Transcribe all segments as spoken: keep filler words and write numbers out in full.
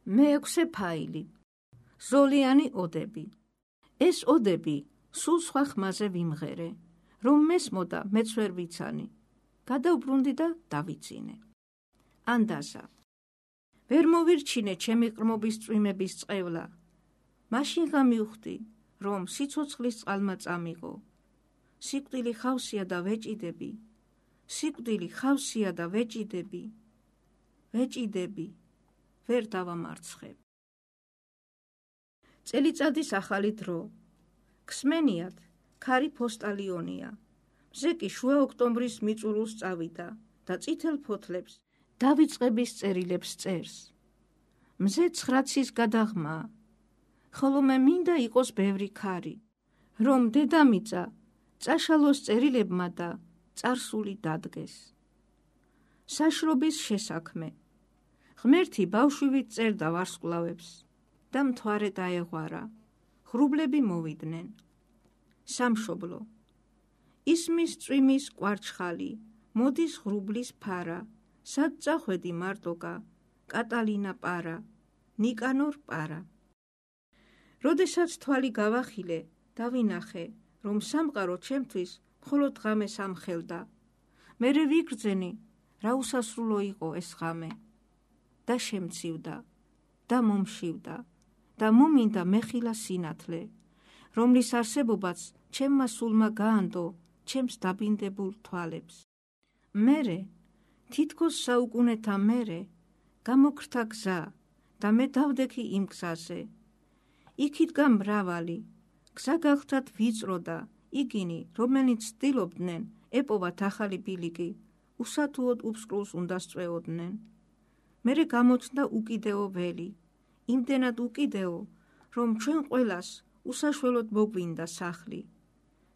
მეექვსე ფაილი. ზოლიანი ოდები. ეს ოდები სულ სხვა ხმაზე ვიმღერე, რომ მესმოდა მეც ვერ ვიცანი. გადავბრუნდი და დავიცინე. ანდაზა. ვერ მოვირჩინე ჩემი ყრმობის წვიმების წყევლა. მაშინ გამივხვდი, რომ სიცოცხლის წყალმა წამიღო. სიკვდილი ხავსია და ვეჭიდები. სიკვდილი ხავსია და ვეჭიდები. ვეჭიდები. ვერ დავამარცხებ. წელიწადის ახალი დრო. ქსმენიათ, ქარი ფოსტალიონია. მზე კი შუა ოქტომბრის მიწურულს წავიდა და წითელ ფოთლებს დავიწყების წერილებს წერს. მზე ცხრაცის გადაღმა, ხოლო მე მინდა იყოს ბევრი ქარი, რომ დედამიწა წაშალოს წერილებმა და წარსული დადგეს. საშრობის შესაქმე. ღმერთი ბავშვივით წერდა ვარსკვლავებს და მთვარე დაეღვარა, ღრუბლები მოვიდნენ. სამშობლო. ისმის წვიმის კვარჩხალი, მოდის ღრუბლის ფარა, სად წახვედი მარტოკა, კატალინა პარა, ნიკანორ პარა. როდესაც თვალი გავახილე, დავინახე, რომ სამყარო ჩემთვის მხოლოდ ღამეს ამხელდა. მერე ვიგრძენი, რა უსასრულო იყო ეს ღამე. და შემცივდა, და მომშივდა, და მომინდა მეხილა სინათლე, რომლის არსებობაც ჩემმა სულმა გაანდო ჩემს დაბინდებულ თვალებს. მერე, თითქოს საუკუნეთა მერე, გამოგრთა გზა და მე დავდექი იმ გზაზე. იქით გამრავალი, გზა გახლდათ ვიწრო და იგინი, რომელნიც ცდილობდნენ ეპოვათ ახალი ბილიკი, უსათუოდ უფსკრულს უნდა სწვეოდნენ. მერე გამოჩნდა უკიდეო ველი, იმდენად უკიდეო, რომ ჩვენ ყველას უსაშველოდ მოგვინდა სახლი.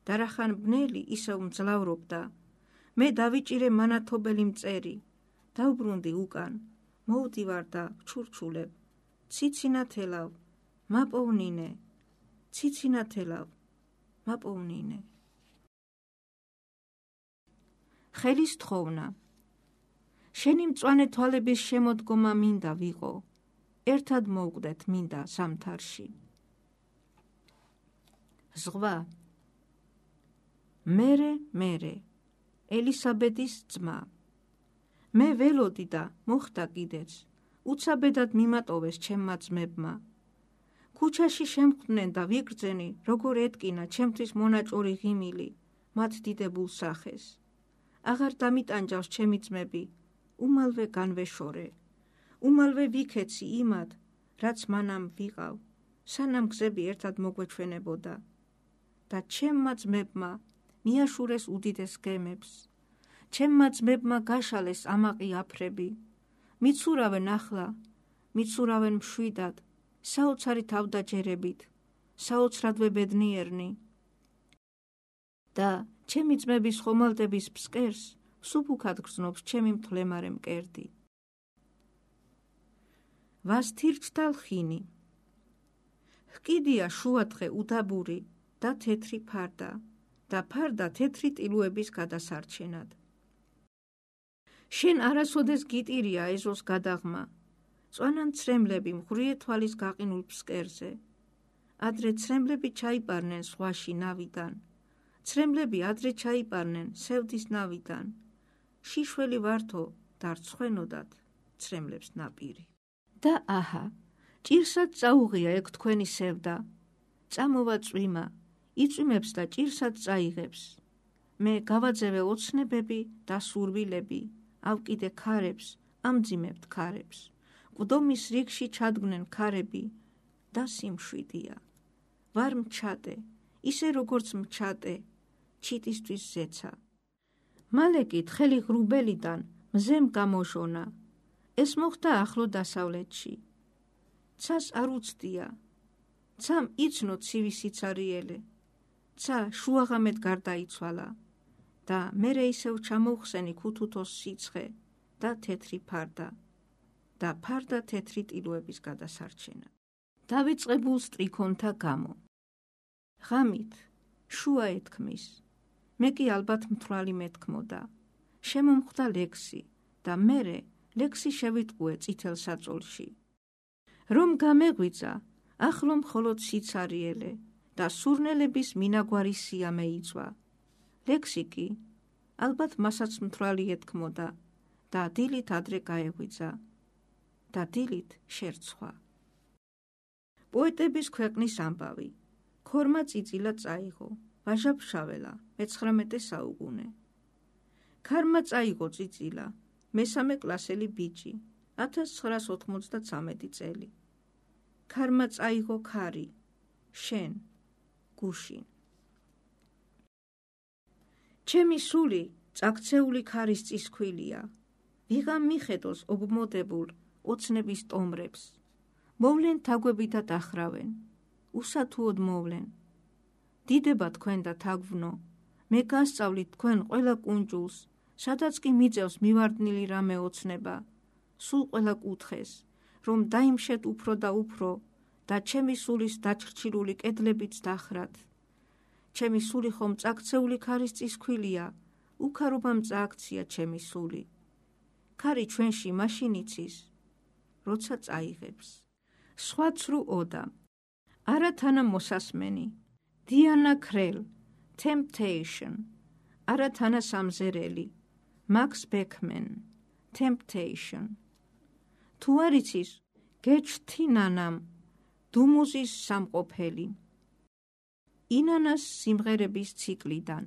და რახან ბნელი ისევ მძლავრობდა, მე დავიჭირე მანათობელი მწერი, დავბრუნდი უკან, მოვდივარ და ვჩურჩულებ, ციცინათელავ, მაპოვნინე, ციცინათელავ, მაპოვნინე. ხელის თხოვნა. შენი მწვანე თვალების შემოდგომა მინდა ვიყო, ერთად მოვკვდეთ მინდა ზამთარში. ზღვა. მერე, მერე, ელისაბედის ძმა. მე ველოდი და მოხდა კიდეც, უცაბედად მიმატოვეს ჩემმა ძმებმა. ქუჩაში შემხვდნენ და ვიგრძენი, როგორ ეტკინა ჩემთვის მონაჭორი ღიმილი, მათ დიდებულ სახეს. აღარ დამიტანჯავს ჩემი ძმები, უმალვე განვეშორე. უმალვე ვიქეცი იმად, რაც მანამ ვიყავ, სანამ გზები ერთად მოგვეჩვენებოდა. და ჩემმა ძმებმა მიაშურეს უდიდეს გემებს. ჩემმა ძმებმა გაშალეს ამაყი აფრები. მიცურავენ ახლა, მიცურავენ მშვიდად, საოცარი თავდაჯერებით, საოცრადვე ბედნიერნი. და ჩემი ძმების ხომალდების ფსკერს სუფუქად გრძნობს ჩემი მთლემარე მკერდი. ვასთირჩთა ლხინი. ჰკიდია შუადღე უდაბური და თეთრი ფარდა და ფარდა თეთრი ტილუების გადასარჩენად. შენ არასოდეს გიტირია ეზოს გადაღმა, წვანან ცრემლები მღვრიე თვალის გაყინულ ფსკერზე. ადრე ცრემლები ჩაიპარნენ ზღვაში ნავიდან, ცრემლები ადრე ჩაიპარნენ სევდის ნავიდან. შიშველი ვართო და რცხვენოდათ ცრემლებს ნაპირი. და აჰა, ჭირსაც წაუღია ეგ თქვენი სევდა. წამოვა წვიმა, იწვიმებს და ჭირსაც წაიღებს. მე გავაძევე ოცნებები და სურვილები, ავკიდე ქარებს, ამძიმებთ ქარებს. კვდომის რიგში ჩადგნენ ქარები და სიმშვიდია. ვარ მჩატე, ისე როგორც მჩატე, ჩიტისთვის ზეცა. მალე კი თხელი ღრუბელიდან მზემ გამოჟონა. ეს მოხდა ახლო დასავლეთში. ცას არ უცდია. ცამ იცნო ცივი სიცარიელე. ცა შუაღამედ გარდაიცვალა და მერე ისევ ჩამოვხსენი ქუთუთოს სიცხე და თეთრი ფარდა და ფარდა თეთრი ტილუების გადასარჩენა. დავიწყებულ სტრიქონთა გამო. ღამით შუა ეთქმის, მე კი ალბათ მთვრალი მეთქმოდა. შემომხვდა ლექსი და მერე ლექსი შევიტყუე წითელ საწოლში. რომ გამეღვიძა, ახლო მხოლოდ სიცარიელე და სურნელების მინაგვარი სიამე იწვა. ლექსიკი, ალბათ მასაც მთვრალი ეთქმოდა და დილით ადრე გაეღვიძა და დილით შერცხვა. პოეტების ქვეყნის ამბავი. ქორმა წიწილა წაიღო, ვაჟა-ფშაველა, მეცხრამეტე საუკუნე. ქარმა წაიღო წიწილა, მესამე კლასელი ბიჭი, ათას ცხრაას ოთხმოცდაცამეტი წელი. ქარმა წაიღო ქარი, შენ, გუშინ. ჩემი სული წაქცეული ქარის წისქვილია, ვიღამ მიხედოს ობმოდებულ ოცნების ტომრებს. მოვლენ თაგვები და დაჰრავენ, უსათუოდ მოვლენ. დიდება თქვენ და თაგვვნო, მე გასწავლით თქვენ ყველა კუნჯულს, სადაც კი მიწევს მივარდნილი რამე ოცნება, სულ ყველა კუთხეს, რომ დაიმშეთ უფრო და უფრო და ჩემი სულის დაჩრჩილული კედლებიც დახრათ. ჩემი სული ხომ წაქცეული ქარის წისქვილია, უქარობამ წააქცია ჩემი სული. ქარი ჩვენში მაშინ იცის, როცა წაიღებს. სხვა ცრუ ოდა. არათანა მოსასმენი. დიანა ქრელ, Temptation. არათანა სამზერელი. Max Beckman, Temptation. თუ არ იცის, გეჩთი ნანამ, დუმუზის სამყოფელი. ინანას სიმღერების ციკლიდან.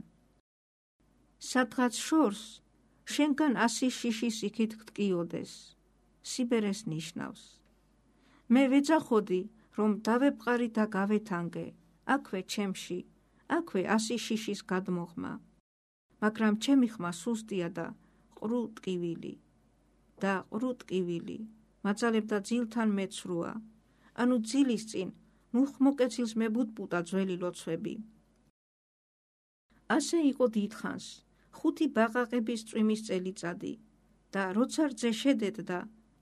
სადღაც შორს, შენგან ასი შიშის იქით გტკიოდეს, სიბერეს ნიშნავს. მე ვეძახოდი, რომ დავეპყარი და გავეთანგე, აქვე ჩემში, აქვე ასი შიშის გადმოხმა. მაგრამ ჩემი ხმა სუსტია და ყრუ ტკივილი. და ყრუ ტკივილი, მაძალებდა ძილთან მეცრუა, ანუ ძილის წინ მუხმოკეცილს მებუტბუტა ძველი ლოცვები. ასე იყო დიდხანს, ხუთი ბაყაყების წვიმის წელიწადი და როცა რძე შედედდა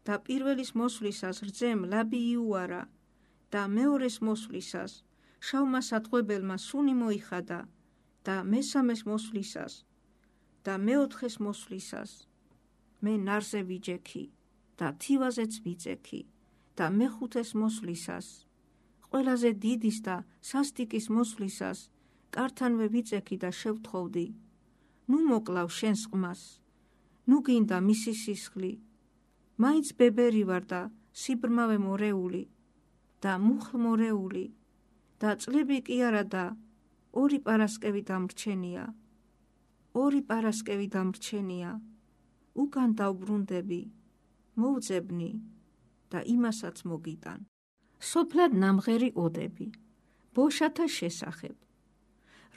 და პირველის მოსვლისას რძემ ლაბი იუარა და მეორეს მოსვლისას შავმა სათღვებელმა სუნი მოიხადა და მესამეს მოსვლისას და მეოთხეს მოსვლისას მე ნარზე ვიჯექი და თივაზეც ვიწექი და მეხუთეს მოსვლისას ყველაზე დიდის და სასტიკის მოსვლისას კართანვე ვიწექი და შევთხოვდი, ნუ მოკლავ შენს ყმას, ნუ გინდა მისი სისხლი, მაინც ბებერი ვარ და სიბრმავე მორეული და მუხლმორეული და წლები კი არა და ორი პარასკევი დამრჩენია, ორი პარასკევი დამრჩენია, უკან დავბრუნდები, მოვძებნი და იმასაც მოგიტან. სოფლად ნამღერი ოდები, ბოშათა შესახებ,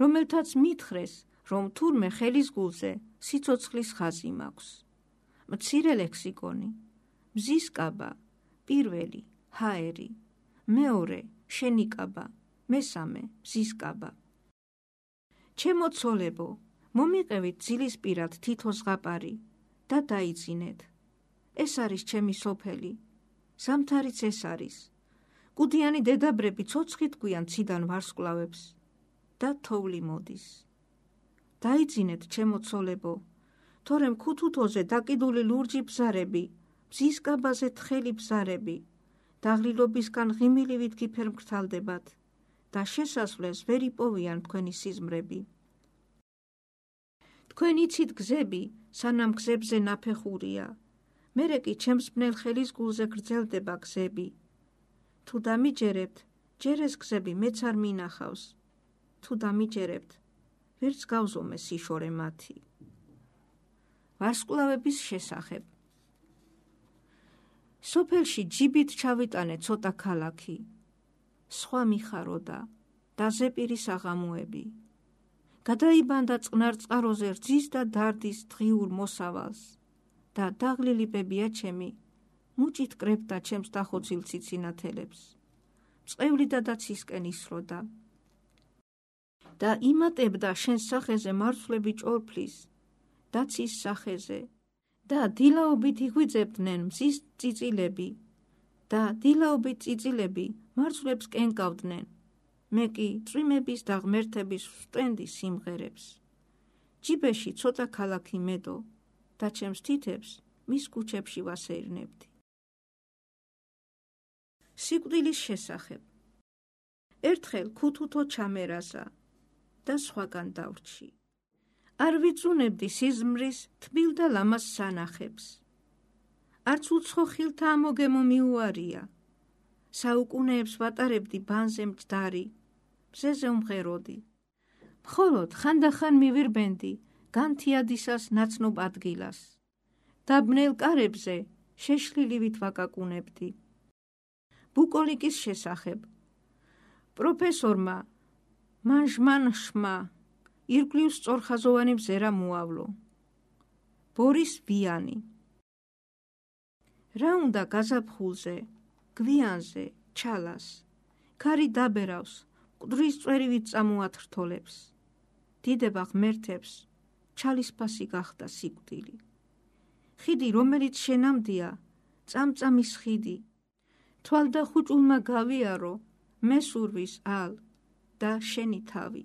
რომელთაც მითხრეს, რომ თურმე ხელის გულზე სიცოცხლის ხაზი მაქვს. მცირე ლექსიკონი, მზის კაბა, პირველი, ჰაერი, მეორე, შენი კაბა, მესამე, მზის კაბა. ჩემო ცოლებო, მომიყევით ძილის პირად თითო ზღაპარი და დაიძინეთ. ეს არის ჩემი სოფელი, ზამთარიც ეს არის. კუდიანი დედაბრები ცოცხით გვიან ციდან ვარსკვლავებს და თოვლი მოდის. დაიძინეთ ჩემო ცოლებო, თორემ ქუთუთოზე დაკიდული ლურჯი ბზარები, მზის კაბაზე თხელი ბზარები, დაღლილობისგან ღიმილივით გიფერმკრთალდებათ და შესასვლელს ვერ იპოვიან თქვენი სიზმრები. თქვენ იცით გზები, სანამ გზებზე ნაფეხურია, მერე კი ჩემს ბნელ ხელის გულზე გრძელდება გზები. თუ დამიჯერებთ, ჯერეს გზები მეც არ მინახავს. თუ დამიჯერებთ, ვერც გავზომე სიშორე მათი. ვარსკვლავების შესახებ. სოფელში ჯიბით ჩავიტანე ცოტა ქალაქი. სხვა მიხაროდა და ზეპირის აღამოები. გადაიბანდა წყნარ წყაროზე რძის და დარდის დღიურ მოსავალს და დაღლილი ბებია ჩემი მუჭით კრებდა ჩემს დახოცილ ციცინათელებს. წყევლი და დაცისკენ ისროდა და იმატებდა შენს სახეზე მარცვლები ჭორფლის, დაცის სახეზე და დილაობით იღვიძებდნენ მზის წიწილები და დილაობით წიწილები მარცვლებს კენკავდნენ. მე კი წვიმების და ღმერთების ვსტენდი სიმღერებს. ჯიბეში ცოტა ქალაქი მედო და ჩემს თითებს მის კუჩებში ვასეირნებდი. სიკვდილის შესახებ. ერთხელ ქუთუთო ჩამერაზა და სხვაგან დავრჩი. არ ვიწუნებდი სიზმრის თბილ და ლამას სანახებს. არც უცხო ხილთა ამოგემო მიუარია. საუკუნეებს ვატარებდი ბანზე მჯდარი, მზეზე უმღეროდი. მხოლოდ ხანდახან მივირბენდი განთიადისას ნაცნობ ადგილას. დაბნელ კარებზე შეშლილივით ვაკაკუნებდი. ბუკოლიკის შესახებ. პროფესორმა მანჟმანშმა ირგვლივ სწორხაზოვანი მზერა მოავლო. ბორის ვიანი. რა უნდა გაზაფხულზე, გვიანზე, ჩალას. ქარი დაბერავს, მკვდრის წვერივით წამოათრთოლებს. დიდება ღმერთებს, ჩალისფასი გახდა სიკვდილი. ხიდი, რომელიც შენამდია, წამწამის ხიდი. თვალ და ხუჭულმა გავიარო, მესურვის ალ და შენი თავი.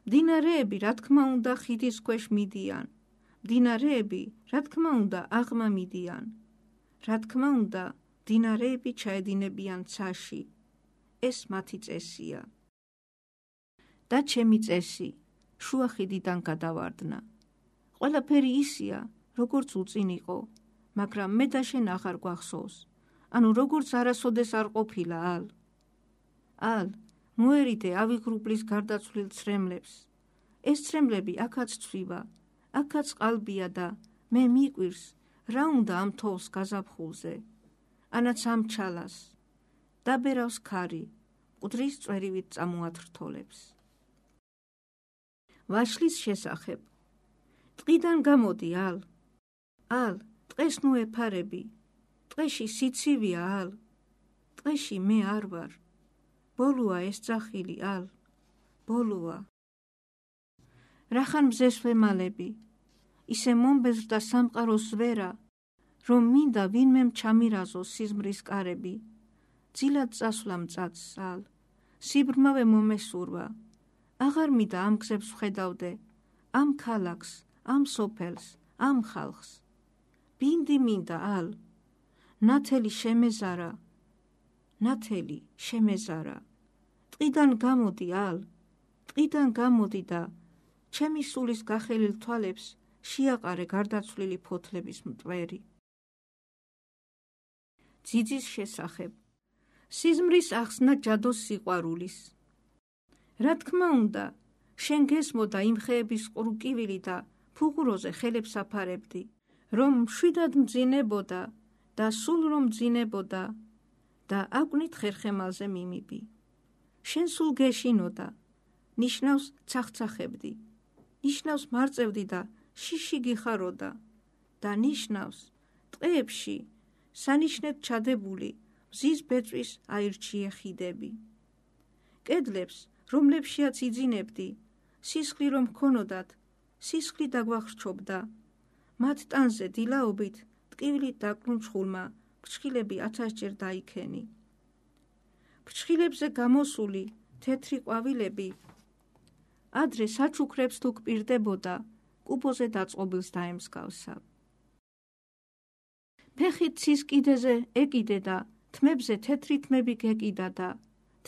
მდინარეები, რა თქმა უნდა, ხიდის ქვეშ მიდიან. მდინარეები, რა თქმა უნდა, აღმა მიდიან. რა თქმა უნდა, მდინარეები ჩაედინებიან ცაში. ეს მათი წესია. და ჩემი წესი, შუა ხიდიდან გადავარდნა. ყველაფერი ისია, როგორც უწინ იყო, მაგრამ მე და შენ აღარ გვახსოვს. ანუ როგორც არასოდეს არ ყოფილა ალ. ალ, მოერიდე ავიღრუბლის გარდაცვლილ ცრემლებს. ეს ცრემლები აქაც ცვივა, აქაც ყალბია და მე მიკვირს, რა უნდა ამ თოვს გაზაფხულზე, ანაც ამ ჩალას. დაბერავს ქარი, მკვდრის წვერივით წამოათრთოლებს. ვაშლის შესახებ. ტყიდან გამოდი ალ. ალ, ტყეს ნუ ეფარები. ტყეში სიცივია ალ. ტყეში მე არ ვარ. ბოლოა ეს ძახილი ალ. ბოლოა. რახან მზეს ვემალები. ისე მომბეზრდა სამყაროს ვერა, რომ მინდა ვინმემ ჩამირაზოს სიზმრის კარები. ძილად წასვლა მწაცს ალ. სიბრმავე მომესურვა. აღარ მინდა ამ გზებს ვხედავდე, ამ ქალაქს, ამ სოფელს, ამ ხალხს. ბინდი მინდა ალ. ნათელი შემეზარა. ნათელი შემეზარა. ტყიდან გამოდი ალ. ტყიდან გამოდი და ჩემი სულის გახელილ თვალებს შეაყარე გარდაცვლილი ფოთლების მტვერი. ძიძის შესახებ. სიზმრის ახსნა ჯადოს სიყვარულის. რა თქმა უნდა, შენ გესმოდა იმ ხეების ყრუკივილი და ფუღუროზე ხელებს აფარებდი, რომ მშვიდად მძინებოდა და სულ რომ მძინებოდა და აკვნით ხერხემალზე მიმიბი. შენ სულ გეშინოდა, ნიშნავს ცახცახებდი, ნიშნავს მარწევდი და შიში გიხაროდა და ნიშნავს ტყეებში სანიშნედ ჩადებული მზის ბეწვის აირჩიე ხიდები. კედლებს, რომლებშიაც იძინებდი, სისხლი რომ ქონოდათ, სისხლი დაგვახრჩობდა. მათ ტანზე დილაობით ტკივილით დაკრუნჩხულმა ფრჩხილები ათასჯერ დაიქენი. ფრჩხილებზე გამოსული თეთრი ყვავილები ადრე საჩუქრებს თუ გპირდებოდა, კუბოზე დაწყობილს დაემსგავსა. ფეხით ცის კიდეზე ეკიდე და თმებზე თეთრი თმები გეკიდა და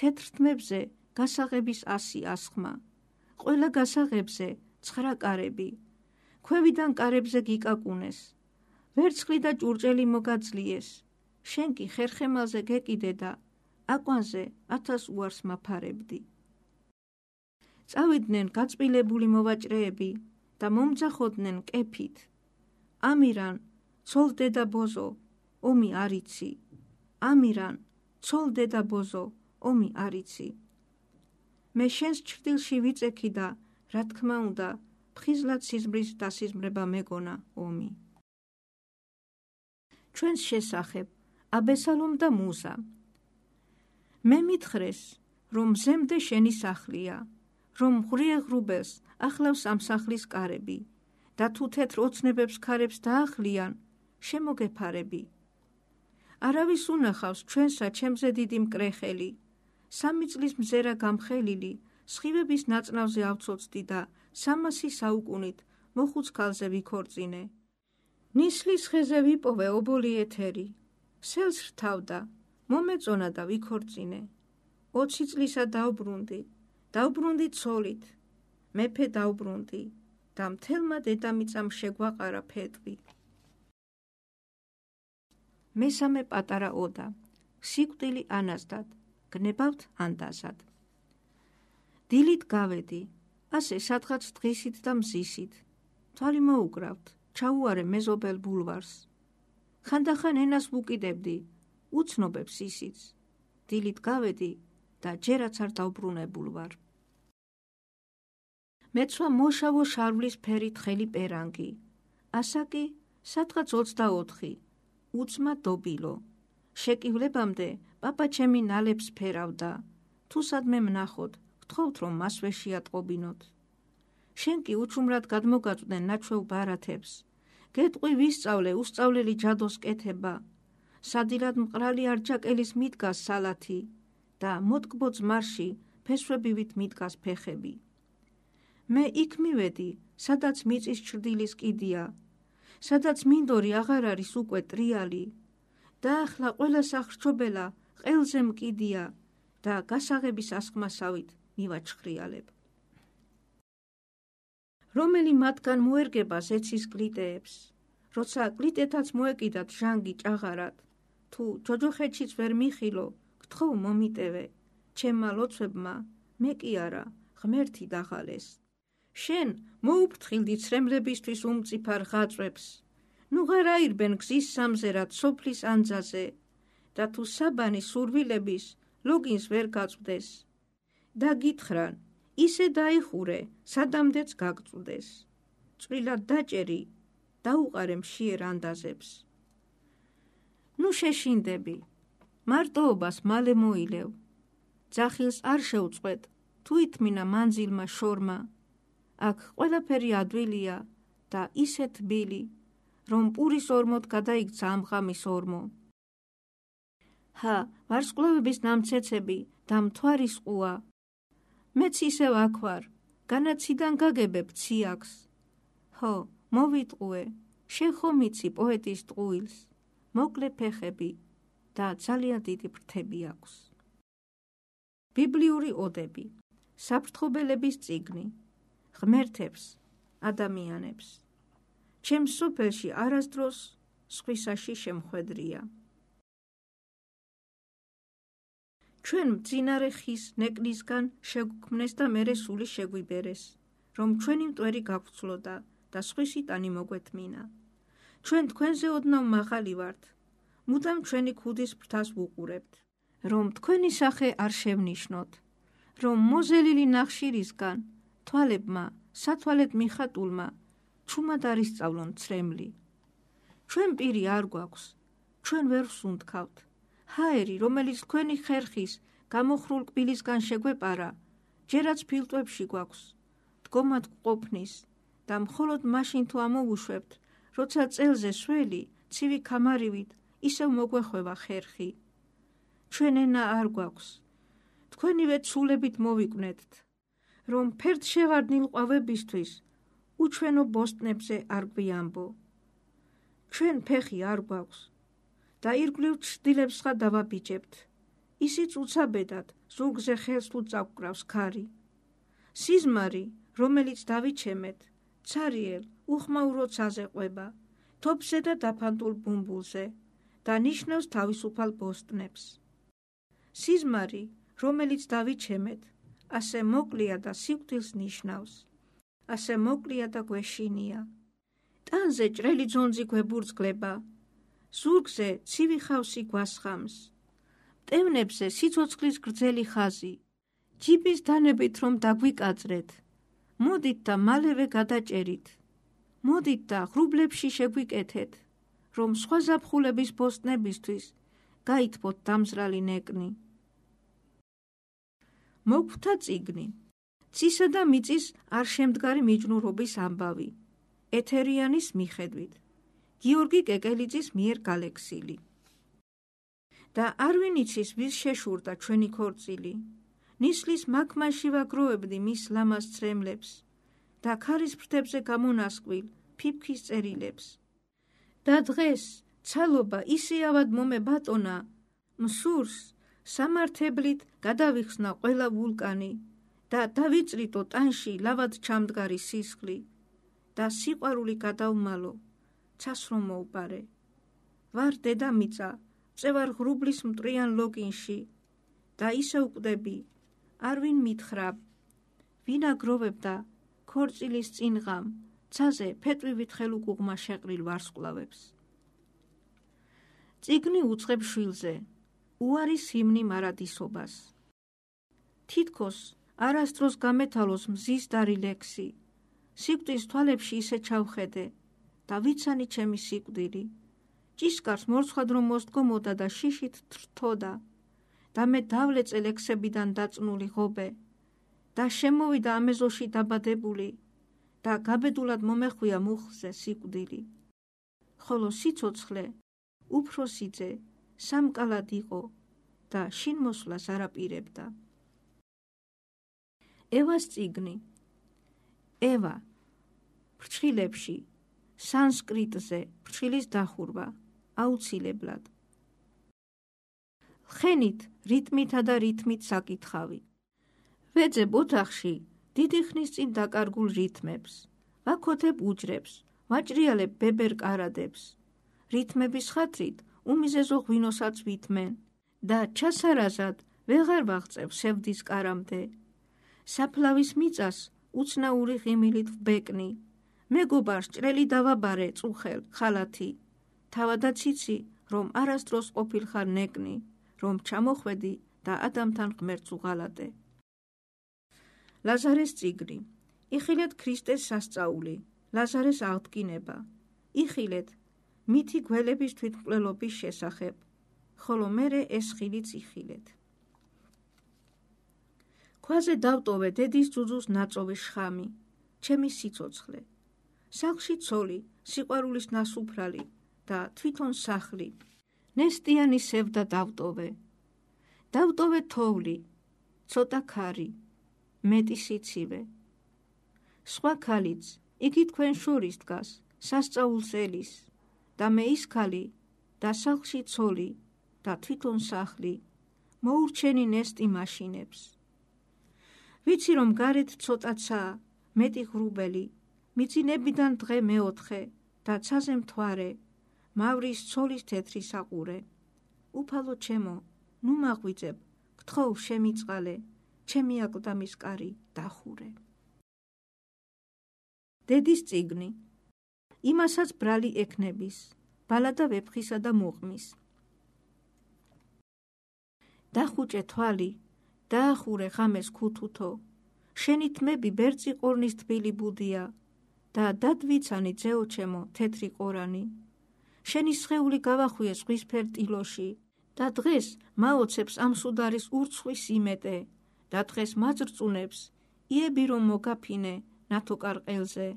თეთრ თმებზე გასაღების ასი ასხმა. ყველა გასაღებზე ცხრა კარები. ქვევიდან კარებზე გიკაკუნეს. ვერცხლი და ჭურჭელი მოგაძლიეს. შენ კი ხერხემალზე გეკიდე და აკვანზე ათას უარს მაფარებდი. წავიდნენ გაწბილებული მოვაჭრეები და მომძახოდნენ კეფით. ამირან, ცოლ დედა ბოზო, ომი არიცი. ამირან, ცოლ დედა ბოზო, ომი არიცი. მე შენს ჩრდილში ვიწექი და, რა თქმა უნდა, ფხიზლად სიზმრის დასიზმრება მეგონა ომი. ჩვენს შესახებ, აბესალომ და მუზა. მე მითხრეს, რომ მზემდე შენი სახლია, რომ ღრიე ღრუბელს ახლავს ამ სახლის კარები და თუ თეთრ ოცნებებს ქარებს დაახლიან, შემოგეფარები. არავის უნახავს ჩვენსა ჩემზე დიდი მკრეხელი. სამი წლის მზერა გამხელილი, სხივების ნაწნავზე ავცოცდი და სამასი საუკუნით მოხუცქალზე ვიქორწინე. ნისლის ხეზე ვიპოვე ობოლი ეთერი. სელს რთავდა, მომეწონა და ვიქორწინე. ოცი წლისა დავბრუნდი, დავბრუნდი ცოლით, მეფე დავბრუნდი და მთელმა დედამიწამ შეგვაყარა ფეტვი. მესამე პატარა ოდა. სიკვდილი ანაზდად, გნებავთ ანდაზად. დილით გავედი, ასე სადღაც დღისით და მზისით. თვალი მოუკრავთ, ჩაუარე მეზობელ ბულვარს. ხანდახან ენას ვუკიდებდი, უცნობებს ისიც. დილით გავედი და ჯერაც არ დავბრუნებულ ვარ. მეცვა მოშავო შარვლის ფერით ხელი პერანგი. ასაკი სადღაც ოცდაოთხი, უცმა დობილო. შეკივლებამდე პაპა ჩემი ნალებს ფერავდა. თუ სადმე მნახოთ, გთხოვთ რომ მასვე შეატყობინოთ. შენ კი უჩუმრად გადმოგაწვდენ ნაჩვევ ბარათებს. გეტყვი ვისწავლე უსწავლელი ჯადოს კეთება. სადილად მყრალი არჯაკელის მიდგას სალათი და მოტკბო ძმარში ფესვებივით მიდგას ფეხები. მე იქ მივედი, სადაც მიწის ჩრდილის კიდია, სადაც მინდორი აღარ არის უკვე ტრიალი და ახლა ყველა სახრჩობელა ყელზე მკიდია და გასაღების ასხმასავით მივაჩხრიალებ. რომელი მათგან მოერგება ზეცის კლიტეებს, როცა კლიტეთაც მოეკიდათ ჟანგი ჭაღარად, თუ ჯოჯოხეთშიც ვერ მიხილო, გთხოვ მომიტევე, ჩემმა ლოცვებმა, მე კი არა, ღმერთი დაღალეს. შენ მოუფრთხილდი ცრემლებისთვის უმწიფარ ღაწვებს, ნუ ღარ აირბენ გზის სამზერად სოფლის ანძაზე და თუ საბანი სურვილების ლოგინს ვერ გაწვდეს. და გითხრან, ისე დაიხურე, სადამდეც გაგწვდეს. წვრილად დაჭერი, დაუყარე მშიერ ანდაზებს. ნუ შეშინდები, მარტოობას მალე მოილევ. ძახილს არ შევწყვეტ, თუ ითმინა მანძილმა შორმა. აქ ყველაფერი ადვილია და ისე თბილი, რომ პურის ორმოდ გადაიქცა ამ ღამის ორმო. ჰა, ვარსკვლავების ნამცეცები და მთვარის ყუა. მეც ისევ აქ ვარ, განაციდან გაგებებ ციაკს. ჰო, მოვიტყუე, შენ ხომ იცი პოეტის ტყუილს, მოკლე ფეხები და ძალიან დიდი ფრთები აქვს. ბიბლიური ოდები, საფრთხობელების წიგნი, ღმერთებს, ადამიანებს. ჩემს სოფელში არასდროს სხვისაში შემხვედრია. ჩვენ მძინარე ხის ნეკლისგან შეგვქმნეს და მერე სული შეგვიბერეს, რომ ჩვენი მტვერი გაგვცლოდა და სხვისი ტანი მოგვეთმინა. ჩვენ თქვენზე ოდნავ მაღალი ვართ, მუდამ ჩვენი ქუდის ფრთას ვუყურებთ, რომ თქვენი სახე არ შევნიშნოთ, რომ მოზელილი ნახშირისგან თვალებმა, სათვალეთ მიხატულმა, ჩუმად არ ისწავლონ ცრემლი. ჩვენ პირი არ გვაქვს, ჩვენ ვერ ვსუნთქავთ. ჰაერი, რომელიც თქვენი ხერხის გამოხრულ კბილისგან შეგვეპარა, ჯერაც ფილტვებში გვაქვს, დგომად გვყოფნის და მხოლოდ მაშინ თუ ამოვუშვებთ, როცა წელზე სველი, ცივი ქამარივით ისევ მოგვეხვევა ხერხი. ჩვენ ენა არ გვაქვს, თქვენივე ცულებით მოვიკვნეთთ, რომ ფერდშევარდნილ ყვავებისთვის უჩვენო ბოსტნებზე არ გვიამბო. ჩვენ ფეხი არ გვაქვს და ირგვლივ ჩრდილებს ხა დავაბიჯებთ. ისიც უცაბედად ზურგზე ხელს თუ წაგკრავს ქარი. სიზმარი, რომელიც დავიჩემეთ, ცარიელ, უხმაურო ცაზე ყვება, თოფზე და დაფანტულ ბუმბულზე და ნიშნავს თავისუფალ ბოსტნებს. სიზმარი, რომელიც დავიჩემეთ, ასე მოკლია და სიკვდილს ნიშნავს, ასე მოკლია და გვეშინია. ტანზე ჭრელი ძონძი გვებურძგლება, ზურგზე ცივი ხავსი გვასხამს, მტევნებზე სიცოცხლის გრძელი ხაზი, ჯიბის დანებით რომ დაგვიკაწრეთ, მოდით და მალევე გადაჭერით, მოდით და ღრუბლებში შეგვიკეთეთ, რომ სხვა ზაფხულების ბოსტნებისთვის გაითბოთ დამზრალი ნეკნი. მოგვთა წიგნი, ცისა და მიწის არ შემდგარი მიჯნურობის ამბავი, ეთერიანის მიხედვით, გიორგი კეკელიძის მიერ გალექსილი. და არ ვინ იცის ვის შეშურდა ჩვენი ქორწილი, ნისლის მაქმაში ვაგროვებდი მის ლამაზ ცრემლებს და ქარის ფრთებზე გამონასკვილ ფიფქის წერილებს. და დღეს ცალობა ისე ავად მომებატონა, მსურს სამართებლით გადავიხსნა ყველა ვულკანი და დავიწრიტო ტანში ლავად ჩამდგარი სისხლი და სიყვარული გადავმალო, ცას რომ მოუპარე. ვარ დედამიწა, წევარ ღრუბლის მტრიან ლოგინში და ისე ვკვდები, არ ვინ მითხრა, ვინ აგროვებდა ქორწილის წინღამ, ცაზე ფეტვივით ხელუკუღმა შეყრილ ვარსკვლავებს. წიგნი უწყებ შვილზე, უარის ჰიმნი მარადისობას. თითქოს არასდროს გამეთალოს მზის დარი ლექსი, სიკვდილს თვალებში ისე ჩავხედე და ვიცანი ჩემი სიკვდილი. ჭიშკარს მორცხვად რომ მოსდგომოდა და შიშით თრთოდა და მე დავლეწე ლექსებიდან დაწნული ღობე და შემოვიდა ამეზოში დაბადებული და გაბედულად მომეხვია მუხლზე სიკვდილი. ხოლო სიცოცხლე უფროსიძე სამკალად იყო და შინ მოსვლას არ აპირებდა. ევას წიგნი. ევა ფრჩხილებში სანსკრიტზე ფრჩხილის დახურვა აუცილებლად. ხენით რიტმითა და რითმით საკითხავი. ვეძებ ოთახში დიდი ხნის წინ დაკარგულ რითმებს, ვაქოთებ უჯრებს, ვაჭრიალებ ბებერ კარადებს. რითმების ხათრით უმიზეზო ღვინოსაც ვითმენ და ჩასარაზად ვეღარ ვაღწევ სევდის კარამდე. საფლავის მიწას უცნაური ღიმილით ვბეკნი, მეგობარს ჭრელი დავაბარე წუხელ ხალათი, თავადაც იცი, რომ არასდროს ყოფილხარ ნეკნი, რომ ჩამოხვედი და ადამიანთან ღმერთს უღალატე. ლაზარეს წიგნი. იხილეთ ქრისტეს სასწაული, ლაზარეს აღდგინება. იხილეთ მითი გველების თვითმკვლელობის შესახებ, ხოლო მერე ეს ხილიც იხილეთ. ქვაზე დავტოვე დედის ძუძუს ნაწოვი შხამი, ჩემი სიცოცხლე. სახლში ცოლი, სიყვარულის ნასუფრალი და თვითონ სახლი. ნესტიანი სევდა დავტოვე. დავტოვე თოვლი, ცოტა ქარი, მეტი სიცივე. სხვა ქალიც, იგი თქვენ შორის დგას, სასწაულს ელის, და მე ის ქალი და სახლში ცოლი და თვითონ სახლი, მოურჩენი ნესტი მაშინებს. ვიცი რომ გარეთ ცოტაცაა, მეტი ღრუბელი, მიწინებიდან დღე მეოთხე და ცაზე მთვარე, მავრის ცოლის თეთრი საყურე. უფალო ჩემო, ნუ მაღვიძებ, გთხოვ შემიწყალე, ჩემი აკლდამის კარი დახურე. დედის წიგნი. იმასაც ბრალი ექნების, ბალადა ვეფხისა და მუყმის. დახუჭე თვალი, დაახურე ღამეს ქუთუთო, შენი თმები ბერწი ყორნის თბილი ბუდია და დადვიცანი ძეო ჩემო თეთრი ყორანი. შენი სხეული გავახვიე ზღვისფერ ტილოში და დღეს მაოცებს ამ სუდარის ურცხვის იმეტე და დღეს მაძრწუნებს იები რომ მოგაფინე ნათო კარყელზე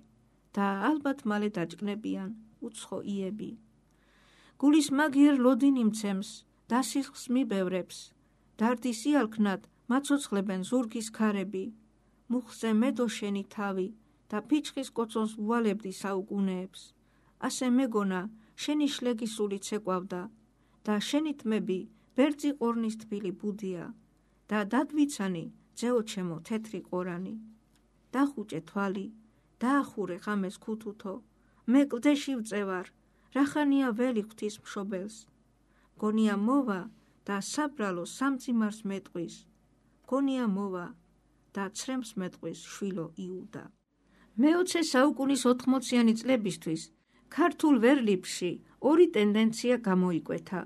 და ალბათ მალე დაჭკნებიან უცხო იები. გულის მაგიერ ლოდინი მცემს და სისხლს მიბევრებს, დარდის იალქნად მაცოცხლებენ ზურგის ქარები. მუხზე მედო შენი თავი და ფიჩხის კოცონს უვალებდი საუკუნეებს. ასე მეგონა შენი შლეგი სულით ეკვავდა და შენი თმები ბერძი ყორნის თბილი ბუდია და დადვიცანი ძეო ჩემო თეთრი ყორანი. დახუჭე თვალი, დაახურე ღამეს ქუთუთო, მე კლდეში ვწევარ, რახანია ველი ღვთის მშობელს. გონია მოვა და საბრალო სამძიმარს მეტყვის, გონია მოვა და ცრემს მეტყვის შვილო იუდა. მეოცე საუკუნის ოთხმოციანი წლებისთვის ქართულ ვერლიფში ორი ტენდენცია გამოიკვეთა.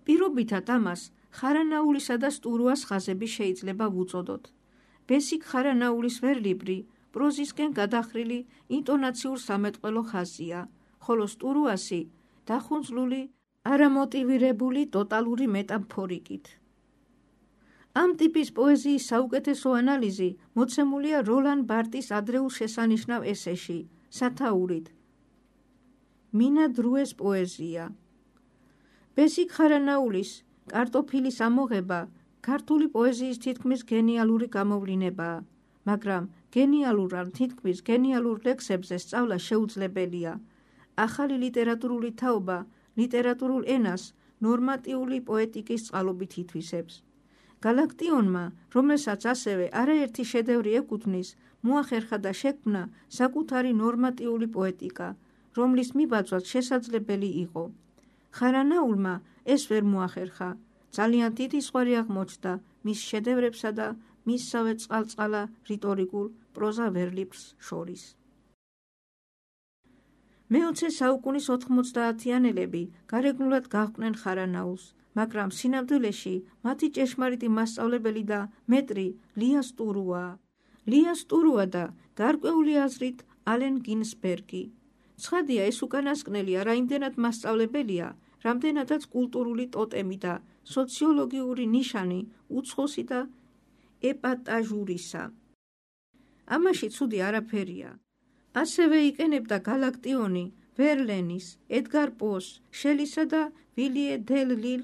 პირობითად ამას ხარანაულისა და სტურუას ხაზები შეიძლება ვუწოდოთ. ბესიკ ხარანაულის ვერლიბრი პროზისკენ გადახრილი ინტონაციურ სამეტყველო ხაზია, ხოლო სტურუასი დახუნძლული არამოტივირებული ტოტალური მეტამფორიკით. ამ ტიპის პოეზიის საუკეთესო ანალიზი მოცემულია როლან ბარტის ადრეულ შესანიშნავ ესეში, სათაურით. მინა დრუეს პოეზია. ბესიკ ხარანაულის კარტოფილის ამოღება ქართული პოეზიის თითქმის გენიალური გამოვლინებაა, მაგრამ გენიალურ ან თითქმის გენიალურ ლექსებზე სწავლა შეუძლებელია. ახალი ლიტერატურული თაობა ლიტერატურულ ენას ნორმატიული პოეტიკის წყალობით ითვისებს. გალაქტიონმა, რომელსაც ასევე არაერთი შედევრი ეკუთვნის, მოახერხა და შექმნა საკუთარი ნორმატიული პოეტიკა, რომლის მიბაძვაც შესაძლებელი იყო. ხარანაულმა ეს ვერ მოახერხა, ძალიან დიდი ზღვარი აღმოჩნდა მის შედევრებსა და მისსავე წყალწყალა რიტორიკულ პროზა ვერლიფრს შორის. მეოცე საუკუნის ოთხმოცდაათიანელები გარეგნულად გაჰყვნენ ხარანაულს, მაგრამ სინამდვილეში მათი ჭეშმარიტი მასწავლებელი და მეტრი ლია სტურუაა. ლია სტურუა და გარკვეული აზრით ალენ გინსბერგი. ცხადია, ეს უკანასკნელი არა იმდენად მასწავლებელია, რამდენადაც კულტურული ტოტემი და სოციოლოგიური ნიშანი უცხოსი და ეპატაჟურისა. ამაში ცუდი არაფერია. ასევე იყენებდა გალაქტიონი ვერლენის, ედგარ პოს, შელისა და ვილიე დელ ლილ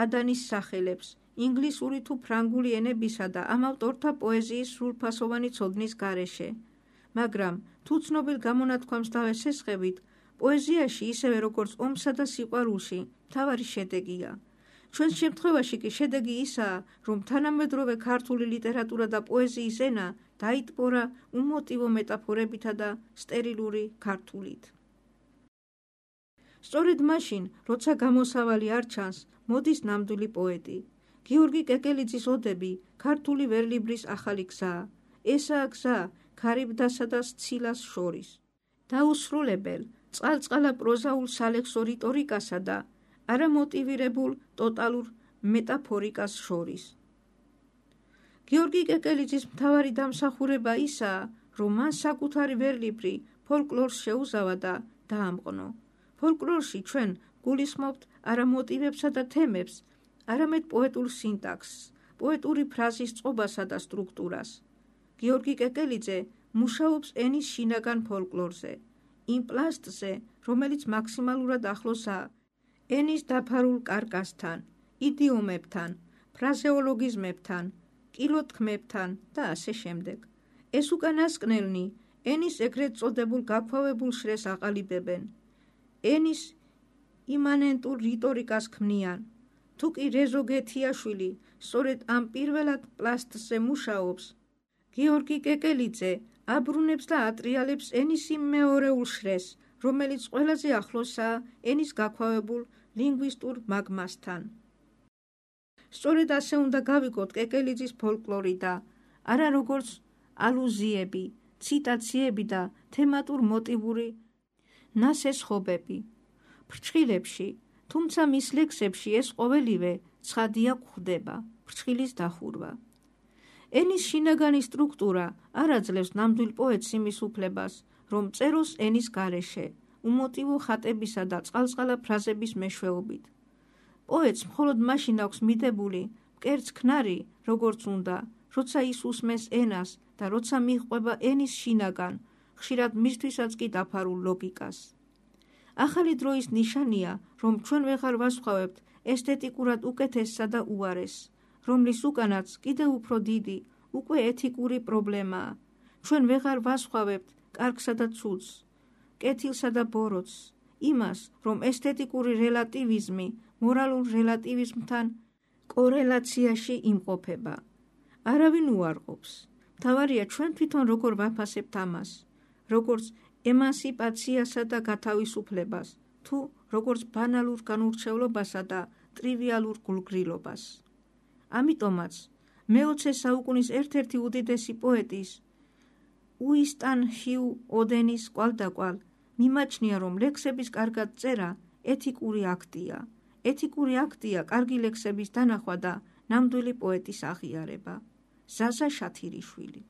ადანის სახელებს, ინგლისური თუ ფრანგული ენებისა და ამ ავტორთა პოეზიის სრულფასოვანი ცოდნის გარეშე. მაგრამ თუ ცნობილ გამონათქვამს დავესესხებით, პოეზიაში ისევე როგორც ომსა და სიყვარულში მთავარი შედეგია. ჩვენს შემთხვევაში კი შედეგი ისაა, რომ თანამედროვე ქართული ლიტერატურა და პოეზიის ენა დაიტბორა უმოტივო მეტაფორებითა და სტერილური ქართულით. სწორედ მაშინ, როცა გამოსავალი არ ჩანს, მოდის ნამდვილი პოეტი. გიორგი კეკელიძის ოდები ქართული ვერლიბრის ახალი გზაა. ესაა გზა ქარიბდასა და სცილას შორის. დაუსრულებელ, წყალწყალა პროზაულ სალექსო რიტორიკასა და არამოტივირებულ ტოტალურ მეტაფორიკას შორის. გიორგი კეკელიძის მთავარი დამსახურება ისაა, რომ მან საკუთარი ვერლიბრი ფოლკლორს შეუზავა და დაამყნო. ფოლკლორში ჩვენ გულისხმობთ არა მოტივებსა და თემებს, არამედ პოეტურ სინტაქსს, პოეტური ფრაზის წყობასა და სტრუქტურას. გიორგი კეკელიძე მუშაობს ენის შინაგან ფოლკლორზე, იმ პლასტზე, რომელიც მაქსიმალურად ახლოსაა ენის დაფარულ კარკასთან, იდიომებთან, ფრაზეოლოგიზმებთან, კილოთქმებთან და ასე შემდეგ. ეს უკანასკნელნი ენის ეგრეთ წოდებულ გაქვავებულ შრეს აყალიბებენ. ენის იმანენტურ რიტორიკას ქმნიან. თუ კი რეზო გეთიაშვილი სწორედ ამ პირველად პლასტზე მუშაობს, გიორგი კეკელიძე აბრუნებს და ატრიალებს ენის იმ მეორეულ შრეს, რომელიც ყველაზე ახლოსაა ენის გაქვავებულ ლინგვისტურ მაგმასთან. სწორედ ასე უნდა გავიგოთ კეკელიძის ფოლკლორი და არა როგორც ალუზიები, ციტაციები და თემატურ მოტივური ნასესხობები. ფრჩხილებში, თუმცა მის ლექსებში ეს ყოველივე ცხადია გვხვდება, ფრჩხილის დახურვა. ენის შინაგანი სტრუქტურა არ აძლევს ნამდვილ პოეტს იმის უფლებას, რომ წეროს ენის გარეშე, უმოტივო ხატებისა და წყალწყალა ფრაზების მეშვეობით. პოეტს მხოლოდ მაშინ აქვს მიდებული მკერდს ქნარი, როგორც უნდა, როცა ის უსმენს ენას და როცა მიჰყვება ენის შინაგან, ხშირად მისთვისაც კი დაფარულ ლოგიკას. ახალი დროის ნიშანია, რომ ჩვენ ვეღარ ვასხვავებთ ესთეტიკურად უკეთესსა და უარესს, რომლის უკანაც კიდევ უფრო დიდი, უკვე ეთიკური პრობლემაა. ჩვენ ვეღარ ვასხვავებთ კარგსა და ცუდს, კეთილსა და ბოროტს, იმას, რომ ესთეტიკური რელატივიზმი მორალურ რელატივიზმთან კორელაციაში იმყოფება. არავინ უარყოფს. მთავარია ჩვენ თვითონ როგორ ვაფასებთ ამას, როგორც ემანსიპაციასა და გათავისუფლებას, თუ როგორც ბანალურ განურჩევლობასა და ტრივიალურ გულგრილობას. ამიტომაც მეოცე საუკუნის ერთ-ერთი უდიდესი პოეტის, უისტან ჰიუ ოდენის კვალდაკვალ მიმაჩნია, რომ ლექსების კარგად წერა ეთიკური აქტია. ეთიკური აქტია კარგი ლექსების დანახვა და ნამდვილი პოეტის აღიარება. ზაზა შათირიშვილი.